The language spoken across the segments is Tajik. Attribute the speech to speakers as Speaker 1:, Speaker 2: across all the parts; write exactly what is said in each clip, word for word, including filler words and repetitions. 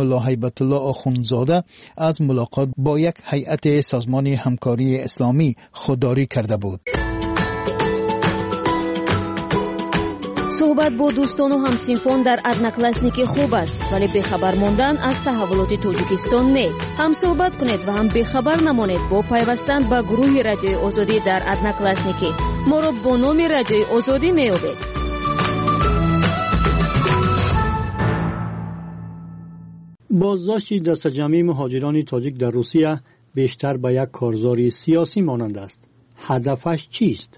Speaker 1: ملا هیبت الله آخوندزاده از ملاقات با یک هیئت سازمان همکاری اسلامی خودداری کرده بود.
Speaker 2: Суҳбат бо дӯстону ҳамсинфон дар Одноклассники хуб аст, вале бехабар мондан аз таҳаввулоти Тоҷикистон не. Ҳам суҳбат кунед ва ҳам бехабар намонед бо пайвастан ба гурӯҳи Радиои Озодӣ дар Одноклассники. Моро бо номи Радиои Озодӣ меёбед.
Speaker 3: Боздошти дастаҷамъии муҳоҷирони тоҷик дар Русия бештар ба як корзори сиёсӣ монанд аст. Ҳадафаш чист?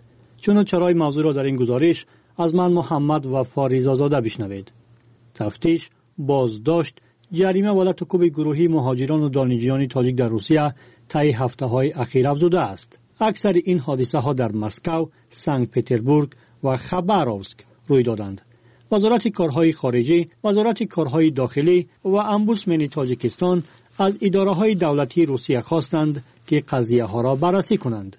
Speaker 3: Чуну чарои мавзӯъро дар ин гузориш аз ман Муҳаммад Вафо Ризозода бишнавед. Тафтиш, боздошт, ҷарима ва лату кӯби гурӯҳии муҳоҷирону донишҷӯёни тоҷик дар Русия таи ҳафтаҳои ахир афзудааст. Аксари ин ҳодисаҳо дар Москав, Санкт-Петербург ва Хабаровск рӯй доданд. Вазорати корҳои хориҷӣ, Вазорати корҳои дохилӣ ва омбудсмени Тоҷикистон аз идораҳои давлатии Русия хостанд, ки қазияҳоро баррасӣ кунанд.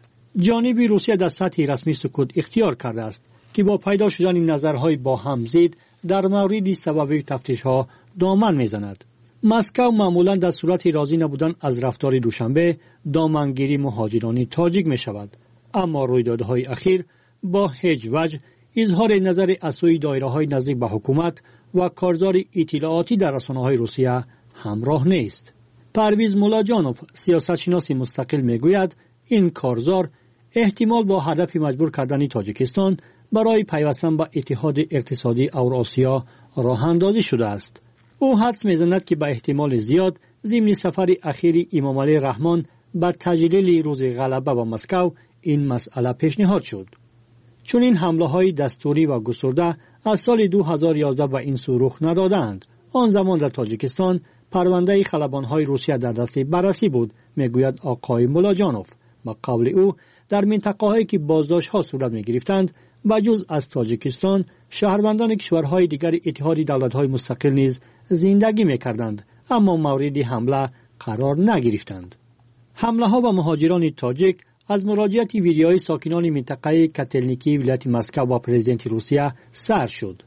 Speaker 3: Ҷониби Русия дар сатҳи расмӣ сукут ихтиёр кардааст, ки бо пайдо шудани назарҳои бо ҳам зид дар мавриди сабаби тафтишҳо доман мезанад. Москав маъмулан дар сурати розӣ набудан аз рафтори Душанбе домангири муҳоҷирони тоҷик мешавад. Аммо рӯйдодҳои ахир бо ҳеҷ ваҷҳ изҳори назари аз сӯи доираҳои наздик ба ҳукумат ва корзори иттилоотӣ дар расонаҳои Русия ҳамроҳ нест. Парвиз Муллоҷонов, сиёсатшиноси мустақил, мегӯяд ин корзор эҳтимол бо ҳадафи маҷбур кардани Тоҷикистон барои пайвастан ба Иттиҳоди иқтисодии Авросиё роҳандозӣ шудааст. Ӯ ҳадс мезанад, ки ба эҳтимоли зиёд зимни сафари ахири Имомалӣ Раҳмон ба таҷлили рӯзи ғалаба ба Москав ин масъала пешниҳод шуд. Чунин ҳамлаҳои дастурӣ ва густурда аз соли ду ҳазору ёздаҳ ба ин сӯ рух надодаанд. Он замон дар Тоҷикистон парвандаи халабонҳои Русия дар дасти баррасӣ буд, мегӯяд оқои Муллоҷонов. Ба қавли ӯ дар минтақаҳое ки боздоштҳо сурат мегирифтанд, ба ҷуз аз Тоҷикистон шаҳрвандони кишварҳои дигари Иттиҳоди давлатҳои мустақил низ зиндагӣ мекарданд, аммо мавриди ҳамла қарор нагирифтанд. Ҳамлаҳо ба муҳоҷирони тоҷик аз муроҷиати видеои сокинони минтақаи Котелникии вилояти Москав ба президенти Русия сар шуд.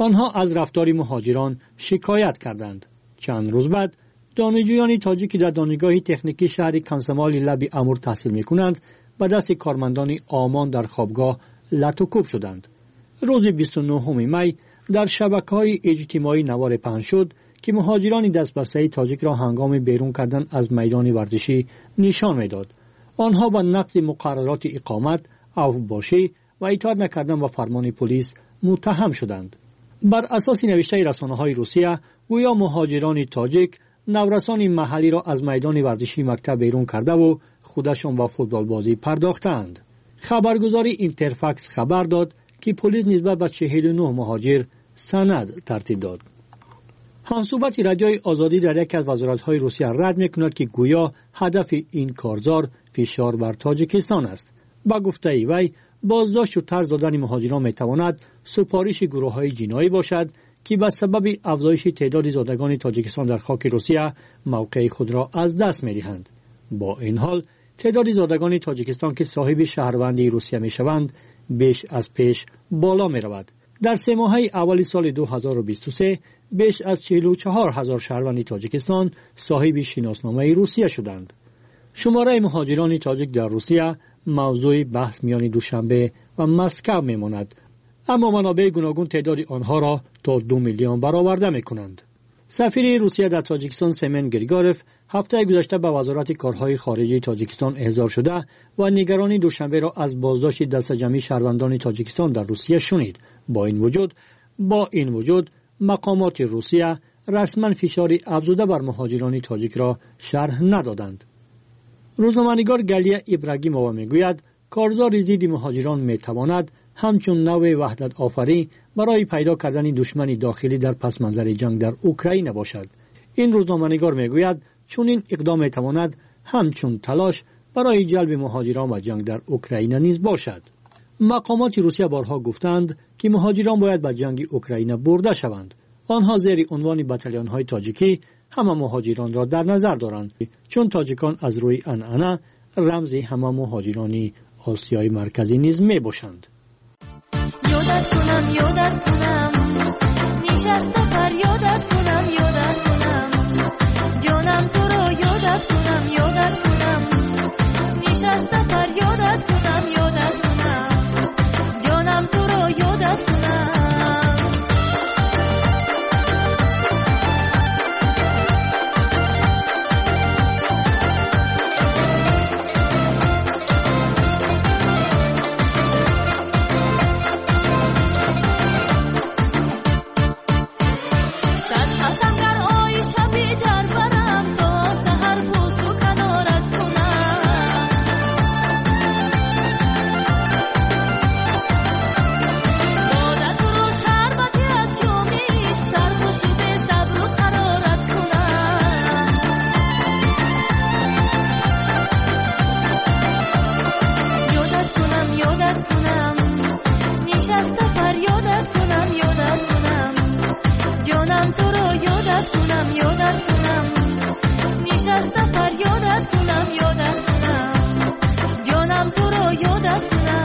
Speaker 3: Онҳо аз рафтори муҳоҷирон шикоят карданд. Чанд рӯз баъд донишҷӯёни тоҷик, ки дар донишгоҳи техникии шаҳри Комсомоли лаби Амур таҳсил мекунанд, ба дасти кормандони ОМОН дар хобгоҳ лату кӯб шуданд. Рӯзи бисту нӯҳуми май дар шабакаҳои иҷтимоӣ наворе паҳн шуд, ки муҳоҷирони дастбастаи тоҷикро ҳангоми берун кардан аз майдони варзишӣ нишон медод. Онҳо ба нақзи муқаррароти иқомат, авбошӣ ва итоат накардан ба фармони полис муттаҳам шуданд. Бар асоси навиштаи расонаҳои Русия, гӯё муҳоҷирони тоҷик наврасони маҳаллиро аз майдони варзишии мактаб берун кардаву худашон ба футболбозӣ пардохтаанд. Хабаргузори Интерфакс хабар дод, ки полис нисбат ба чиҳилу нӯҳ муҳоҷир санад тартиб дод. Ҳамсӯҳбати Радиои Озодӣ дар яке аз вазоратҳои Русия рад мекунад, ки гӯё ҳадафи ин корзор фишор бар Тоҷикистон аст. Ба гуфтаи вай, боздошту тарз додани муҳоҷирон метавонад супориши гурӯҳҳои ҷиноӣ бошад, ки ба сабаби афзоиши теъдоди зодагони Тоҷикистон дар хоки Русия мавқеи худро аз даст медиҳанд. Бо ин ҳол теъдоди зодагони Тоҷикистон, ки соҳиби шаҳрвандии Русия мешаванд, беш аз пеш боло меравад. Дар се моҳаи аввали соли ду ҳазору бисту се беш аз чиҳилу чаҳор ҳазор шаҳрванди Тоҷикистон соҳиби шиносномаи Русия шуданд. Шумораи муҳоҷирони тоҷик дар Русия мавзӯи баҳс миёни Душанбе ва Москав мемонад, аммо манобеи гуногун теъдоди онҳоро то ду миллион бароварда мекунанд. Сафири Русия дар Тоҷикистон Семен Григорев ҳафтаи гузашта ба Вазорати корҳои хориҷии Тоҷикистон эҳзор шуда ва нигаронии Душанберо аз боздошти дастаҷамъии шаҳрвандони Тоҷикистон дар Русия шунид. Бо ин вуҷуд бо ин вуҷуд мақомоти Русия расман фишори афзуда бар муҳоҷирони тоҷикро шарҳ надоданд. Рӯзноманигор Галия Ибрагимова мегӯяд, корзори зидди муҳоҷирон метавонад ҳамчун навъи ваҳдатофарӣ барои пайдо кардани душмани дохилӣ дар пасманзари ҷанг дар Украина бошад. Ин рӯзноманигор мегӯяд, чунин иқдом метавонад ҳамчун талош барои ҷалби муҳоҷирон ба ҷанг дар Украина низ бошад. Мақомоти Русия борҳо гуфтанд, ки муҳоҷирон бояд ба ҷанги Украина бурда шаванд. Онҳо зери унвони батальонҳои тоҷикӣ ҳама муҳоҷиронро дар назар доранд, чун тоҷикон аз рӯи анъана рамзи ҳама муҳоҷирони Осиёи Марказӣ низ мебошанд.
Speaker 4: Ёдат кунам, ёдат кунам, нишаста фарёдат кунам, ёдат кунам. ёдат кунам, нишаста фарёдат кунам, ёдат кунам, ҷонам туро ёдат кунам.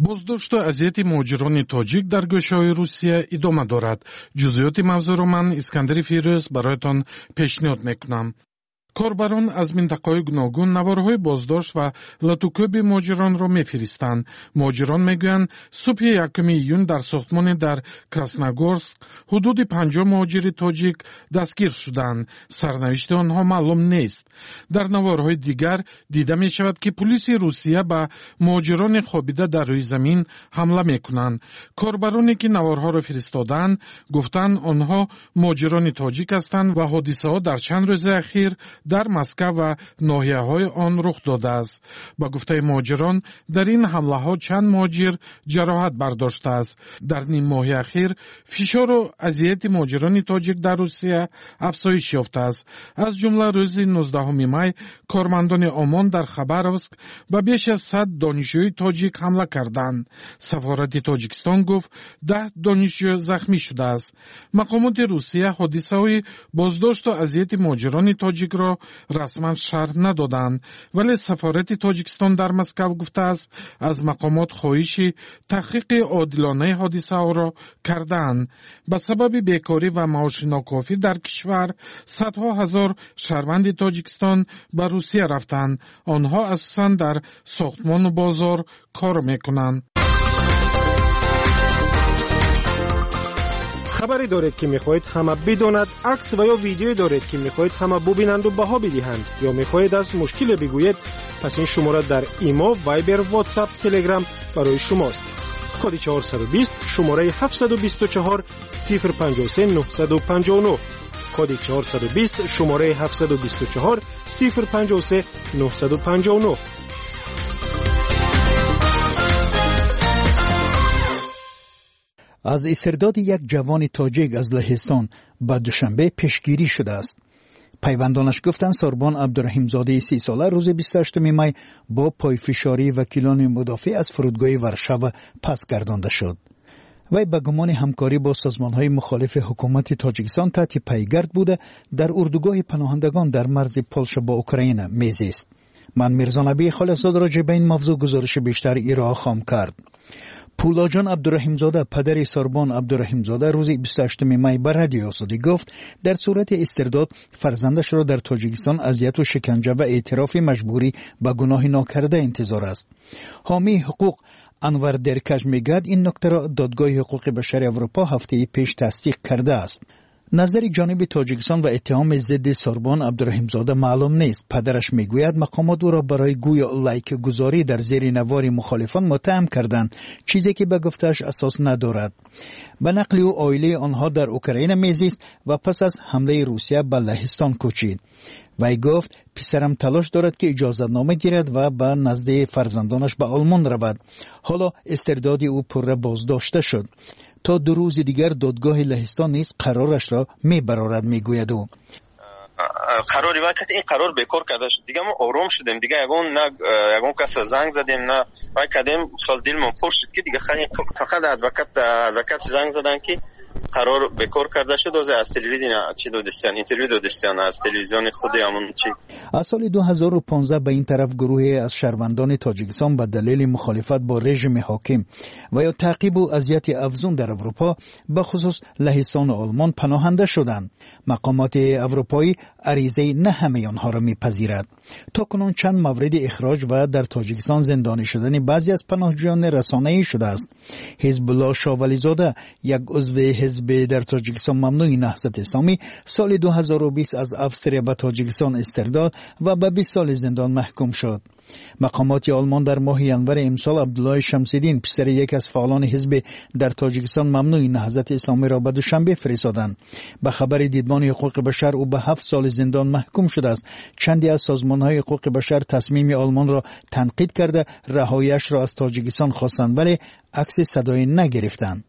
Speaker 5: Боздошту азияти муҳоҷирони тоҷик дар гӯшаҳои Русия идома дорад. Ҷузъиёти мавзӯъро ман, Искандари Фирӯз, бароятон пешниҳод мекунам. Корбарон аз минтақаҳои гуногун наворҳои боздошт ва латукӯби муҳоҷиронро мефиристанд. Муҳоҷирон мегӯянд, субҳи якуми июн дар сохтмоне дар Красногорск ҳудуди панҷоҳ муҳоҷири тоҷик дастгир шуданд. Сарнавишти онҳо маълум нест. Дар наворҳои дигар дида мешавад, ки пулиси Русия ба муҳоҷирони хобида дар рӯи замин ҳамла мекунанд. Корбароне ки наворҳоро фиристодаанд, гуфтанд, онҳо муҳоҷирони тоҷик ҳастанд ва ҳодисаҳо дар чанд рӯзи ахир дар Москва ва ноҳияҳои он рух додааст. Ба гуфтаи муҳоҷирон, дар ин ҳамлаҳо чанд муҳоҷир ҷароҳат бардоштааст. Дар ним моҳи ахир фишору азияти муҳоҷирони тоҷик дар Русия афзоиш ёфтааст. Аз ҷумла рӯзи нуздаҳуми май кормандони ОМОН дар Хабаровск ба беш аз сад донишҷӯи тоҷик ҳамла карданд. Сафорати Тоҷикистон гуфт, даҳ донишҷӯ захмӣ шудааст. Мақомоти Русия ҳодисаҳои боздошту азияти муҳоҷирони тоҷикро расман шарҳ надоданд, вале сафорати Тоҷикистон дар Москав гуфтааст, аз мақомот хоҳиши таҳқиқи одилонаи ҳодисаҳоро кардаанд. Ба сабаби бекорӣ ва маоши нокофӣ дар кишвар садҳо ҳазор шаҳрванди Тоҷикистон ба Русия рафтанд. Онҳо асосан дар сохтмону бозор кор мекунанд.
Speaker 6: Хабаре доред, ки мехоҳед ҳама бидонад, акс ва ё видеое доред, ки мехоҳед ҳама бубинанду баҳо бидиҳанд, ё мехоҳед аз мушкиле бигӯед, пас ин шумора дар Имо, Вайбер, Ватсап, Телеграм барои шумост. Коди чорсаду бист, шумораи ҳафтсаду бисту чор, сифр панҷоҳу се, нуҳсаду панҷоҳу нуҳ. Коди чорсаду бист, шумораи ҳафтсаду бисту чор, сифр панҷоҳу се, нуҳсаду панҷоҳу нуҳ.
Speaker 1: Аз истирдоди як ҷавони тоҷик аз Лаҳистон ба Душанбе пешгирӣ шудааст. Пайвандонаш гуфтанд, Сорбон Абдураҳимзодаи сисола рӯзи бисту ҳаштуми май бо пойфишории вакилони мудофеъ аз фурудгоҳи Варшава пас гардонда шуд. Вай ба гумони ҳамкорӣ бо созмонҳои мухолифи ҳукумати Тоҷикистон таҳти пайгард буда, дар урдугоҳи паноҳандагон дар марзи Полша бо Украина мезист. Ман Мирзонабии Холиқзод роҷеъ ба ин мавзӯъ гузориши бештар ироа хоҳам кард. Пулоҷон Абдураҳимзода, падари Сорбон Абдураҳимзода, рӯзи бисту ҳаштуми май ба Радиои Озодӣ гуфт, дар сурати истирдод фарзандашро дар Тоҷикистон азияту шиканҷа ва эътирофи маҷбурӣ ба гуноҳи нокарда интизор аст. Ҳомии ҳуқуқ Анвар Деркаш мегӯяд, ин нуктаро Додгоҳи ҳуқуқи башари Аврупо ҳафтаи пеш тасдиқ кардааст. Назари ҷониби Тоҷикистон ва иттиҳоми зидди Сорбон Абдураҳимзода маълум нест. Падараш мегӯяд, мақомот ӯро барои гӯё лайкгузорӣ дар зери навори мухолифон муттаҳам карданд, чизе ки ба гуфтааш асос надорад. Ба нақли ӯ, оилаи онҳо дар Украина мезист ва пас аз ҳамлаи Русия ба Лаҳистон кӯчид. Вай гуфт, писарам талош дорад, ки иҷозатнома гирад ва ба назди фарзандонаш ба Олмон равад. Ҳоло истирдоди ӯ пурра боздошта шуд. То ду рӯзи дигар додгоҳи Лаҳистон низ қарорашро мебарорад, мегӯяд ӯ.
Speaker 7: Қарори вай ин қарор бекор карда шуд. Дига мо ором шудем, дига ягон на ягон каса занг задем, на вай кардем, хел дилмон пур шуд, ки дига фақат адвокат адвокат занг задан, ки Қарор бекор карда шуд. Ҳозир аз телевизион чӣ додистиян, интервю додистиян аз телевизиони худи ҳамон чӣ.
Speaker 1: Аз соли ду ҳазору понздаҳ ба ин тараф гурӯҳе аз шаҳрвандони Тоҷикистон ба далели мухолифат бо режими ҳоким ва ё таъқибу азияти афзун дар Аврупо, ба хусус Лаҳистон ва Олмон, паноҳанда шуданд. Мақомоти аврупоӣ аризаи на ҳамаи онҳоро мепазирад. То кунун чанд мавриди ихроҷ ва дар Тоҷикистон зиндонӣ шудани баъзе аз паноҳҷӯён расонаӣ шудааст. Ҳизбулло Шовализода, як узви ҳизб дар Тоҷикистон мамнӯи Наҳзати Исломӣ, соли ду ҳазору бист аз Австрия ба Тоҷикистон истирдод ва ба бист соли зиндон маҳкум шуд. Мақомоти Олмон дар моҳи январи имсол Абдуллоҳи Шамсиддин, писари яке аз фаъолони ҳизби дар Тоҷикистон мамнӯи Наҳзати Исломиро ба Душанбе фиристоданд. Ба хабари Дидбони ҳуқуқи башар, ӯ ба ҳафт соли зиндон маҳкум шудааст. Чанде аз созмонҳои ҳуқуқи башар тасмими Олмонро танқид карда, раҳояшро аз Тоҷикистон хостанд, вале акси садоӣ нагирифтанд.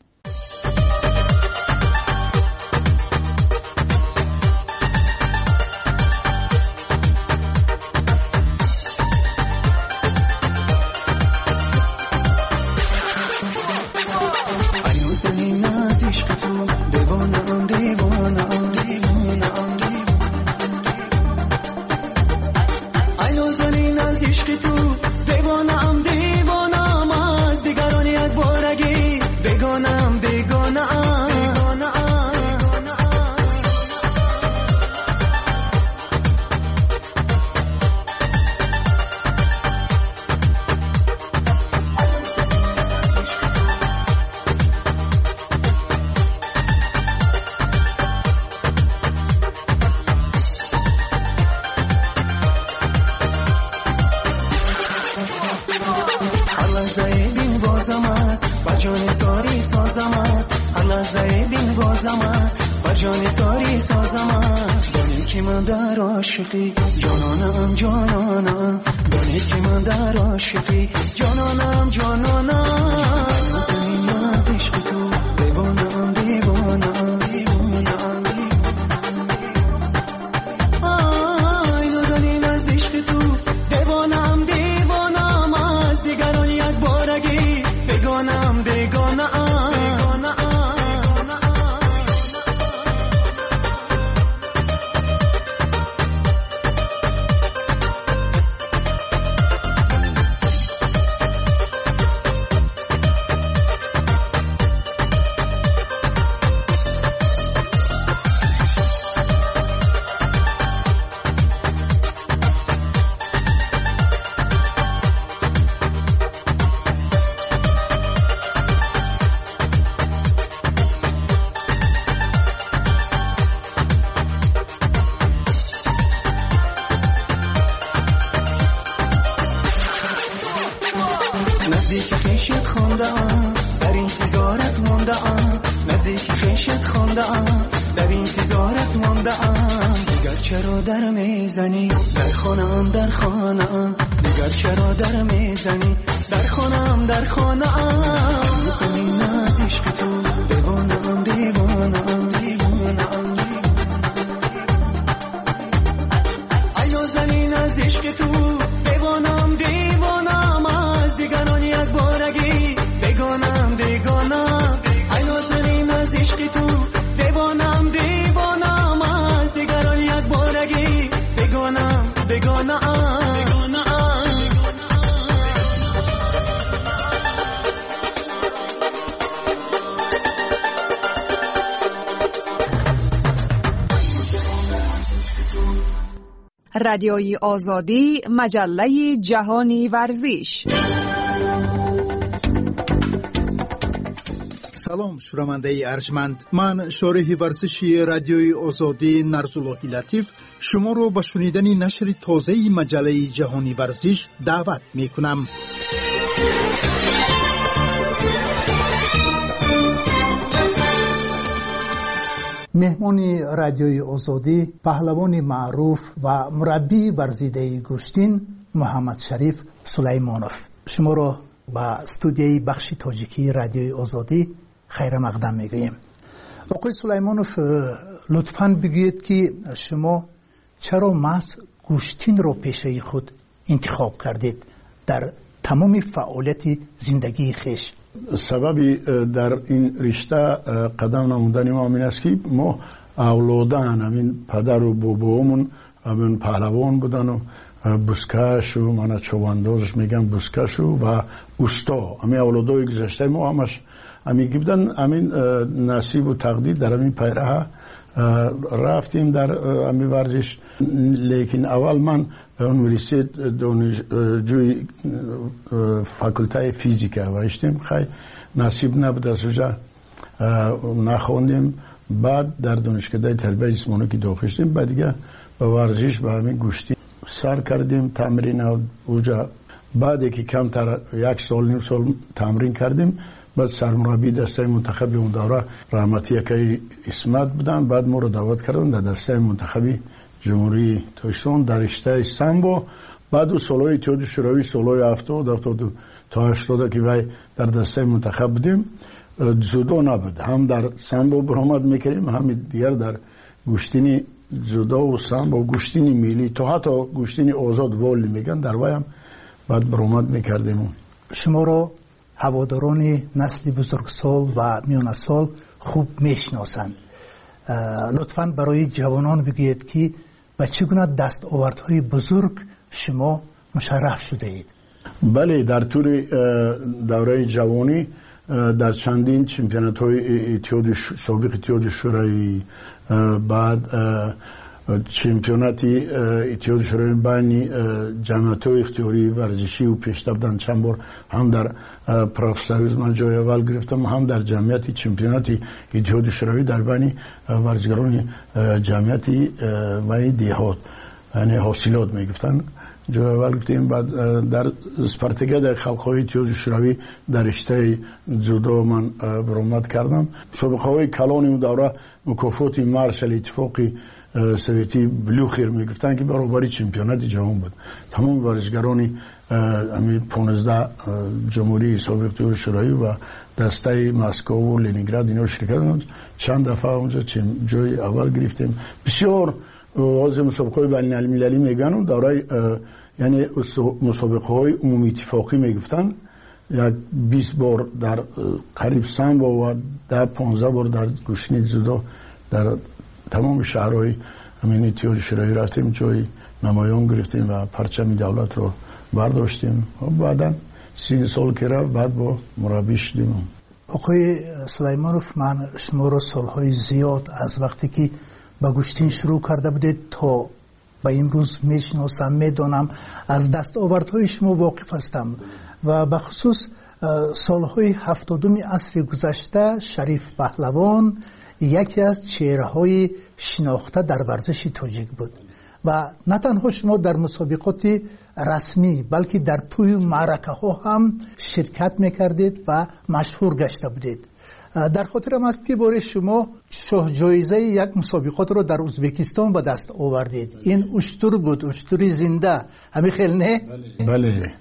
Speaker 8: رادیوی آزادی، مجله جهانی ورزش.
Speaker 9: Салом, шунавандаи арҷманд. Ман шореҳи варзиши радиои Озодӣ Нарзуллоҳи Латиф шуморо ба шунидани нашри тозаи маҷаллаи ҷаҳони варзиш даъват мекунам. Меҳмони радиои Озодӣ, паҳлавони маъруф ва мураббии варзидаи гӯштин Муҳаммадшариф Сулаймонов. Шуморо ба студияи бахши тоҷикии радиои Озодӣ хайрамақдам мегӯем. Оқои Сулаймонов, лутфан бигӯед, ки шумо чаро маҳз гӯштинро пешаи худ интихоб кардед дар тамоми фаъолияти зиндагии хеш?
Speaker 10: Сабаби дар ин ришта қадам намудани мо ҳамин аст, ки мо авлодан ҳамин падару бобоомон ҳамин паҳлавон будану бузкашу мана човандозаш мегӯянд, бузкашу ва усто. Ҳамин авлодои гузаштаи мо ҳамаш ҳамин ки будан, ҳамин насибу тақдир дар ҳамин пайраҳа рафтем дар ҳамин варзиш. Лекин аввал ман университет донишҷӯи факултаи физика ваиштем, хай насиб набуд, аз уҷа нахондем. Баъд дар донишкадаи тарбияи ҷисмонӣ ки дохил шудем, баъд дига ба варзиш, ба ҳамин гӯштӣ сар кардем тамрин уҷа. Баъде ки камтар як сол, ним сол тамрин кардем, баъд сармураббии дастаи мунтахаби он давра раҳматӣ акаи Исмат буданд. Баъд моро даъват карданд дар дастаи мунтахаби Ҷумҳурии Тоҷикистон дар риштаи самбо. Баъд ӯ солҳои Иттиҳоди Шӯравӣ, солҳои ҳафтод, ҳафтоду то ҳаштода ки вай дар дастаи мунтахаб будем, дзюдо набуд. Ҳам дар самбо баромад мекардем, ҳам дигар дар гӯштини дзюдову самбо, гӯштини миллӣ, то ҳатто гӯштини озод волли мегӯянд, дар вай ҳам баъд баромад мекардем.
Speaker 11: Шуморо ҳаводорони насли бузургсол ва миёнасол хуб мешиносанд. Лутфан барои ҷавонон бигӯед, ки ба чӣ гуна дастовардҳои бузург шумо мушарраф шудаед.
Speaker 10: Бале, дар тӯли давраи ҷавонӣ дар чандин чемпионатҳои иттиҳоди собиқ Иттиҳоди Шӯравӣ, баъд чемпионати Иттиҳоди Шӯравӣ байни ҷамъиятҳои ихтиёрии варзишию пештар буданд, чанд бор ҳам дар профсоюз ман ҷои аввал гирифтам, ҳам дар ҷамъияти чемпионати Иттиҳоди Шӯравӣ дар байни варзишгарони ҷамъияти ваи деҳот, яъне ҳосилот мегуфтанд, ҷои аввал гирифтем. Баъд дар спартакиадаи халқҳои Иттиҳоди Шӯравӣ дар риштаи дзюдо ман баромад кардам. Мусобиқаҳои калони он давра мукофоти маршали Иттифоқи Советӣ Блюхер мегуфтанд, ки баробари чемпионати ҷаҳон буд. Тамоми варзишгарони ҳамин понздаҳ ҷумҳурии собиқ Иттиҳоди Шӯравӣ ва дастаи Москву Ленинград ино ширкат карданд. Чанд дафъа онҷо ҷои аввал гирифтем. Бисёр ҳозир мусобиқаҳои байналмилалӣ мегӯянд, давраи яъне мусобиқаҳои умумииттифоқӣ мегуфтанд, як бист бор дар қариб самбо ва даҳ понздаҳ бор дар гӯштини дзюдо дар тамоми шаҳрҳои ҳамин Иттиҳоди Шӯравӣ рафтем, ҷои намоён гирифтем ва парчами давлатро бардоштем. Баъдан си сол ки рафт, баъд бо мураббӣ шудем.
Speaker 11: Оқои Сулаймонов, ман шуморо солҳои зиёд аз вақте ки ба гӯштин шурӯъ карда будед то ба имрӯз мешиносам, медонам, аз дастовардҳои шумо воқиф ҳастам ва бахусус солҳои ҳафтодуми асри гузашта Шариф Паҳлавон яке аз чеҳраҳои шинохта дар варзиши тоҷик буд ва на танҳо шумо дар мусобиқоти расмӣ, балки дар тӯю маъракаҳо ҳам ширкат мекардед ва машҳур гашта будед. Дар хотирам аст, ки бори шумо шоҳҷоизаи як мусобиқотро дар Ӯзбекистон ба даст овардед. Ин уштур буд, уштури зинда. Ҳамин хел не?
Speaker 10: Бале,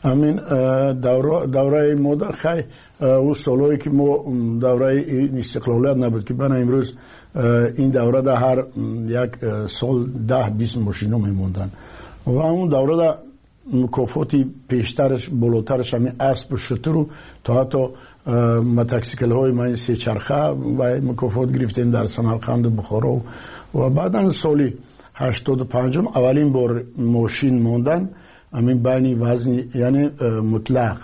Speaker 10: ҳамин давраи мо хай ӯ солҳое ки мо давраи истиқлолият набуд, ки бана имрӯз ин даврада ҳар як сол даҳ бист мошино мемонданд ва он даврада мукофоти пештараш болотараш ҳамин аспу шутуру то ҳатто мотосиклҳои ман сечарха ва мукофот гирифтем дар Самарқанду Бухоро. Ва баъдан соли ҳаштоду панҷум аввалин бор мошин мондан ҳамин байни вазни, яъне мутлақ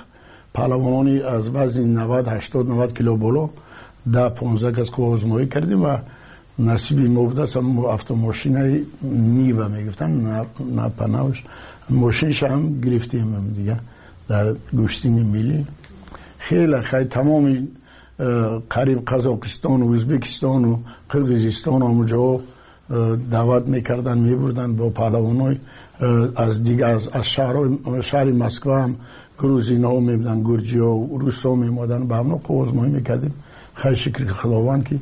Speaker 10: паҳлавонони аз вазни навад, ҳаштод, навад кило боло даҳ понздаҳ кас қувваозмоӣ кардем ва насиби мо будааст автомошинаи Нива мегуфтанд, напанавш мошинша ҳам гирифтем дига дар гӯштини миллӣ. Хеле хай тамоми қариб Қазоқистону Ӯзбекистону Қирғизистону ҳамон ҷоҳо даъват мекарданд, мебурданд бо паҳлавонои аз дигар аз шаҳри Москва ҳам грузинҳо мебуданд, гурҷиҳо, русҳо меомаданд, ба ҳамно қувваозмоӣ мекардем. Хай шукр Худованд, ки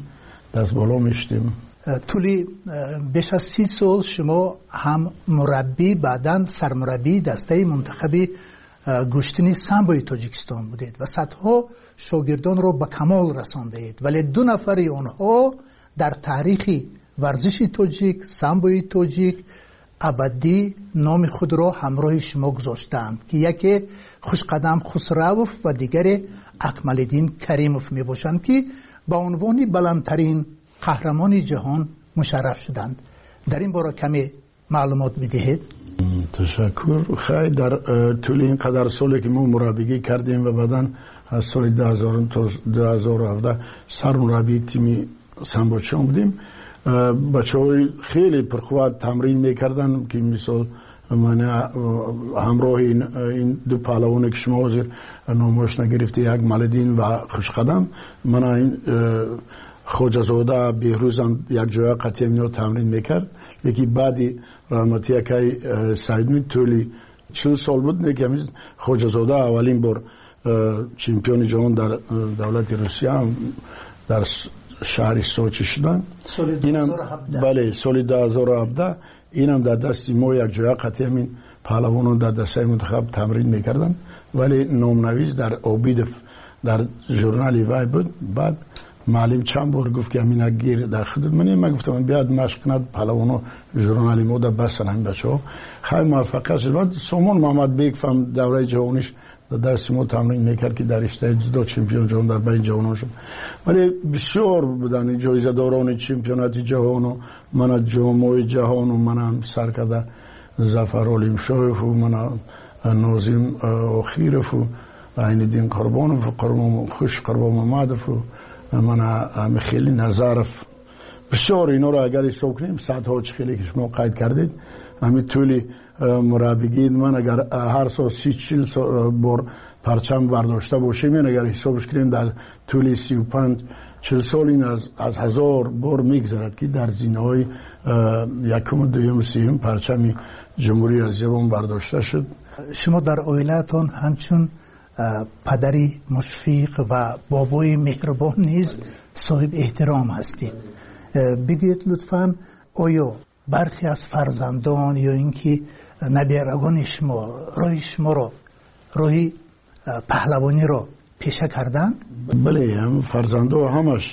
Speaker 10: даст боло мешудем.
Speaker 11: Тӯли беш аз си сол шумо ҳам мураббӣ, баъдан сармураббии дастаи мунтахаби гӯштини самбои Тоҷикистон будед ва садҳо шогирдонро ба камол расондаед, вале ду нафари онҳо дар таърихи варзиши тоҷик, самбои тоҷик абадӣ номи худро ҳамроҳи шумо гузоштаанд, ки яке Хушқадам Хусравов ва дигаре Акмалиддин Каримов мебошанд, ки ба унвони баландтарин қаҳрамони ҷаҳон мушарраф шуданд. Дар ин бора каме маълумот бидиҳед.
Speaker 10: Ташаккур. Хай, дар тӯли ин қадар соле ки мо мураббигӣ кардем ва баъдан аз соли ду ҳазор то ду ҳазору ҳабдаҳ сармураббии тими самбочиён будем, бачаҳои хеле пурқувват тамрин мекарданд, ки мисол ман ҳамроҳи ин ду паҳлавоне ки шумо ҳозир номош нагирифта, як Малиддин ва Хушқадам, мана ин Хоҷазода Беҳрӯзам якҷоя қатъи ино тамрин мекард. Леки баъди раҳмати акай Саидмин тӯли чил сол буд, неки ҳамин Хоҷазода аввалин бор чемпиони ҷаҳон дар давлати Русия дар шаҳри Сочи шуданд. Бале, соли ду ҳазору ҳабдаҳ. Инам дар дасти мо якҷоя қатъи ҳамин паҳлавонон дар дастаи мунтахаб тамрин мекарданд, вале номнавис дар Обидов дар журнали вай буд. Баъд муаллим чанд бор гуфт, ки ҳамина гир дар худат. Ман ман гуфтам, биёд машқ кунад паҳлавоно журнали мо да бастан ҳамин бачаҳо. Хай, муваффақият шуд. Баъд Сомон Муҳаммадбеков ҳам давраи ҷавониш дар дасти мо тамрин мекард, ки дар риштаи дзюдо чемпион ҷаҳон дар байни ҷавонон шуд. Вале бисёр буданд ҷоизадорони чемпионати ҷаҳону мана ҷомҳои ҷаҳону мана сар карда Зафар Олимшоеву мана Нозим Охирову Айниддин Қурбонов, Хуш Қурбонмуҳаммадову мана Михаили Назаров. Бисёр инҳоро агар ҳисоб кунем, садҳо, чӣ хеле ки шумо қайд кардед, ҳамин тӯли мураббигӣ ман агар ҳар сол си чил бор парчам бардошта бошем, агар ҳисобш кунем дар тӯли сию панҷ чил сол ин аз ҳазор бор мегузарад, ки дар зинаҳои якуму дуюму сеюм парчами ҷумҳурии азизамон бардошта шуд.
Speaker 11: Шумо дар оилаатон ҳамчун падари мушфиқ ва бобои меҳрубон низ соҳиб эҳтиром ҳастед. Бигӯед лутфан, оё бархе аз фарзандон ё ин ки наберагони шумо роҳи шуморо, роҳи паҳлавониро пеша карданд?
Speaker 10: Бале, фарзандо ҳамаш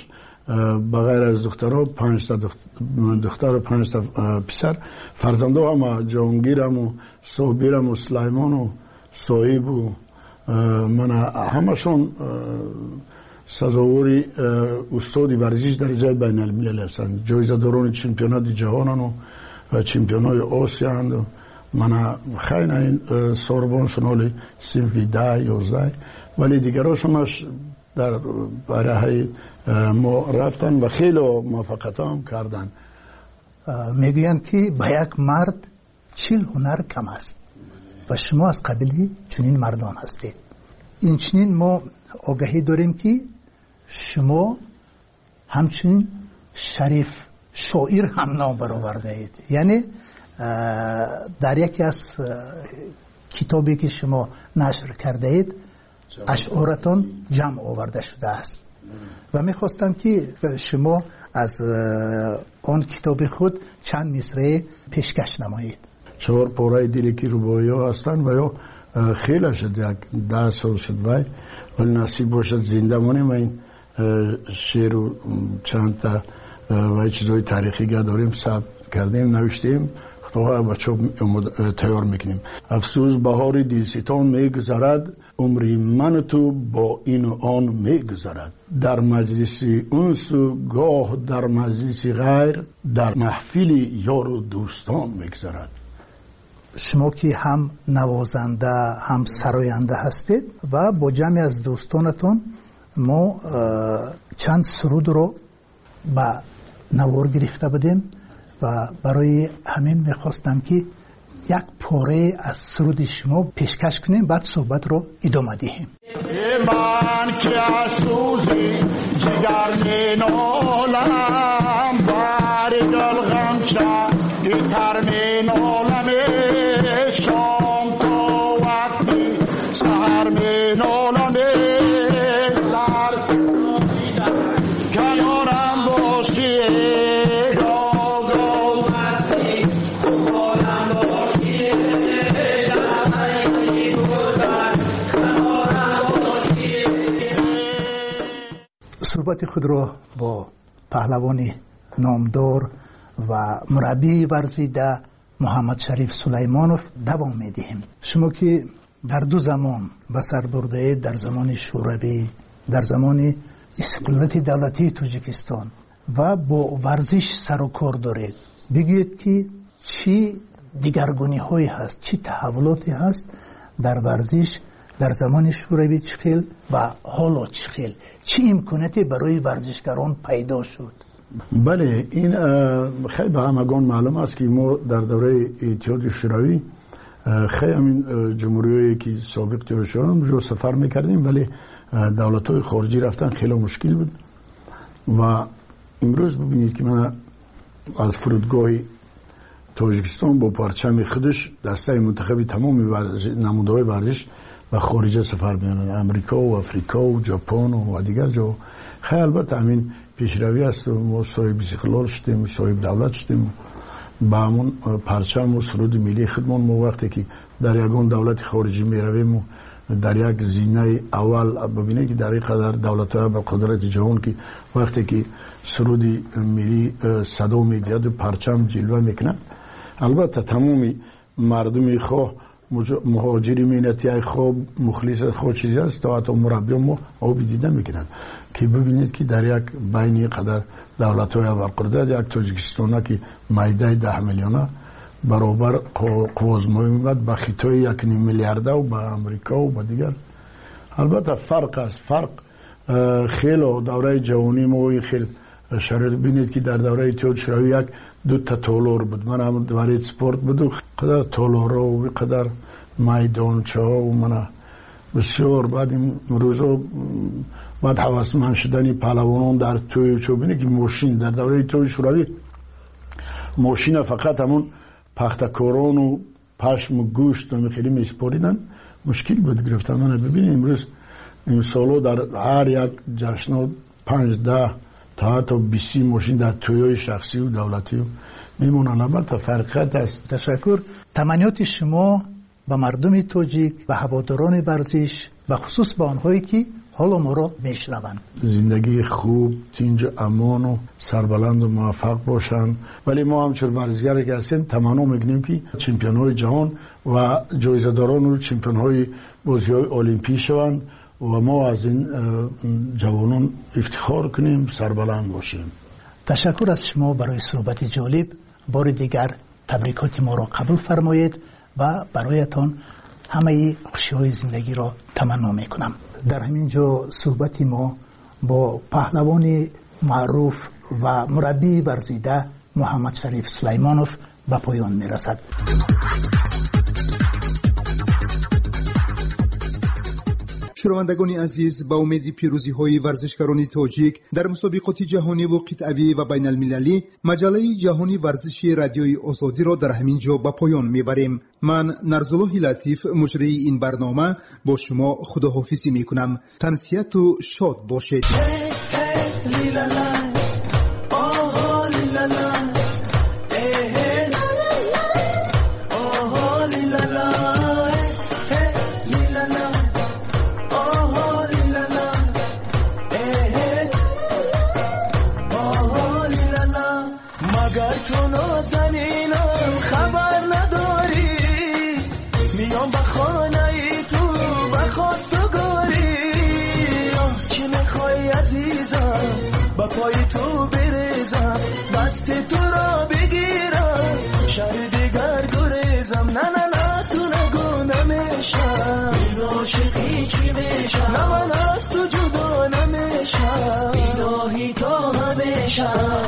Speaker 10: ба ғайр аз духтаро, панҷта духтару панҷта писар, фарзандо ҳама Ҷонгираму Собираму Сулаймону Соҳибу мана ҳамашон сазовори устоди варзиш дараҷаи байналмилалӣ ҳастанд, ҷоизадорони чемпионати ҷаҳонану чемпионҳои Осияанду мана хайна ин сорбоншон ҳоли синфи даҳ ёздаҳ, вале дигарошонаш дар бараҳаи мо рафтанд ва хеле муваффақиятҳо ҳам карданд.
Speaker 11: Мегӯянд, ки ба як мард чил ҳунар кам аст ва шумо аз қабили чунин мардон ҳастед. Инчунин мо огаҳӣ дорем, ки шумо ҳамчунин шариф шоир ҳам ном баровардаед. Яъне дар яке аз китобе ки шумо нашр кардаед ашъоратон ҷамъ оварда шудааст ва мехостам, ки шумо аз он китоби худ чанд мисраe пешкаш намоед.
Speaker 10: Чор пораи диле ки рубоиҳо ҳастанд ва ё хеле шуд, як даҳ сол шуд, вай вале насиб бошад зинда монем ва ин шеъру чандта ва чизҳои таърихӣ га дорем, сабт кардем, навиштем, худоҳо ба чоп тайёр мекунем. Афсӯс, баҳори дилситон мегузарад, умри ману ту бо ину он мегузарад. Дар маҷлиси унсу гоҳ дар маҷлиси ғайр, дар маҳфили ёру дӯстон мегузарад.
Speaker 11: Шумо ки ҳам навозанда ҳам сароянда ҳастед ва бо ҷамъе аз дӯстонатон мо чанд сурудро ба навор гирифта будем ва барои ҳамин мехостам, ки як порае аз суруди шумо пешкаш кунем, баъд суҳбатро идома диҳем.
Speaker 10: Ман ки аз сӯзи ҷигар менолам, бари гул ғамча тар менолам, шом то вақти саҳар менолам, дар канорам бошӣ.
Speaker 11: Суҳбати худро бо паҳлавони номдор ва мураббии варзида Муҳаммадшариф Сулаймонов давом медиҳем. Шумо ки дар ду замон ба сар бурдаед, дар замони Шӯравӣ, дар замони истиқлолияти давлатии Тоҷикистон ва бо варзиш сару кор доред, бигӯед ки чӣ дигаргуниҳое ҳаст, чӣ таҳаввулоте ҳаст дар варзиш дар замони Шӯравӣ чӣ хел ва ҳоло чӣ хел, чӣ имконияте барои варзишгарон пайдо шуд?
Speaker 10: Бале, ин хеле ба ҳамагон маълум аст, ки мо дар давраи Иттиҳоди Шӯравӣ хеле ҳамин ҷумҳуриҳое ки собиқ Иттиҳоди Шӯравӣ онҷо сафар мекардем, вале давлатҳои хориҷӣ рафтан хеле мушкил буд. Ва имрӯз бибинед, ки ман аз фурудгоҳи Тоҷикистон бо парчами худаш дастаи мунтахаби тамоми намудаҳои варзиш ба хориҷа сафар меонанд, Амрико ва Африко ва Ҷопон ва дигар ҷо. Хеле албатта ҳамин пешравӣ аст. Мо соҳиби истиқлол шудем, соҳиби давлат шудем, ба ҳамон парчам ва суруди миллии худмон мо вақте ки дар ягон давлати хориҷӣ меравем ва дар як зинаи аввал бибинед, ки дар ин қадар давлатҳои ба қудрати ҷаҳон, ки вақте ки суруди миллӣ садо медиҳад ва парчам ҷилва мекунад, албатта тамоми мардуми хоҳ муҳоҷири меҳнатӣ, хоҳ мухлис, хоҳ чизе аст, то ҳатто мураббиён мо оби дида мекунанд, ки бибинед, ки дар як байни қадар давлатҳои абарқудрат як Тоҷикистона, ки майдаи даҳ миллиона баробар қуввозмоӣ мебад ба Хитои як ним миллиарда ва ба Амрико ва ба дигар. Албатта фарқ аст, фарқ хело. Давраи ҷавонии мо ин хел шароит бинед, ки дар давраи Иттиҳоди Шӯравӣ як дута толор буд, ман ҳам дворец спорт буду, қадар толорҳо ва қадар майдончаҳо мана бисёр. Баъд имрӯзо баъд ҳавасманд шудани паҳлавонон дар тӯю чо, бинед, ки мошин дар давраи Иттиҳоди Шӯравӣ мошина фақат ҳамон пахтакорону пашму гӯшт хеле месупориданд, мушкил буд гирифтан. Мана бибинед, имрӯз имсоло дар ҳар як ҷашнҳо панҷ даҳ то ҳатто бист мошин дар тӯйҳои шахсию давлатӣ мемонанд. Албатта фарқият аст.
Speaker 11: Ташаккур. Таманниёти шумо ба мардуми тоҷик, ба ҳаводорони варзиш, ба хусус ба онҳое ки ҳоло моро мешунаванд?
Speaker 10: Зиндагии хуб, тинҷу амону сарбаланду муваффақ бошанд. Вале мо ҳамчун варзишгаре ки ҳастем, таманно мекунем, ки чемпионҳои ҷаҳон ва ҷоизадорону чемпионҳои бозиҳои олимпӣ шаванд ва мо аз ин ҷавонон ифтихор кунем, сарбаланд бошем.
Speaker 11: Ташаккур аз шумо барои суҳбати ҷолиб. Бори дигар табрикоти моро қабул фармоед ва бароятон ҳамаи хушиҳои зиндагиро таманно мекунам. Дар ҳамин ҷо суҳбати мо бо паҳлавони маъруф ва мураббии варзида Муҳаммадшариф Сулаймонов ба поён мерасад.
Speaker 9: Шунавандагони азиз, ба умеди пирӯзиҳои варзишгарони тоҷик дар мусобиқоти ҷаҳониву қитъавӣ ва байналмилалӣ, маҷаллаи ҷаҳони варзиши Радиои Озодиро дар ҳамин ҷо ба поён мебарем. Ман Нарзуллоҳи Латиф, муҷрии ин барнома, бо шумо худоҳофизӣ мекунам. Тансиҳату шод бошед.
Speaker 12: پای تو بریزم، دست تو را بگیرم، شهر دیگر گریزم. نه نه نه تو نگو نمیشم، این عاشقی چی میشم، نه من از تو جدا نمیشم، الهی تا همیشم.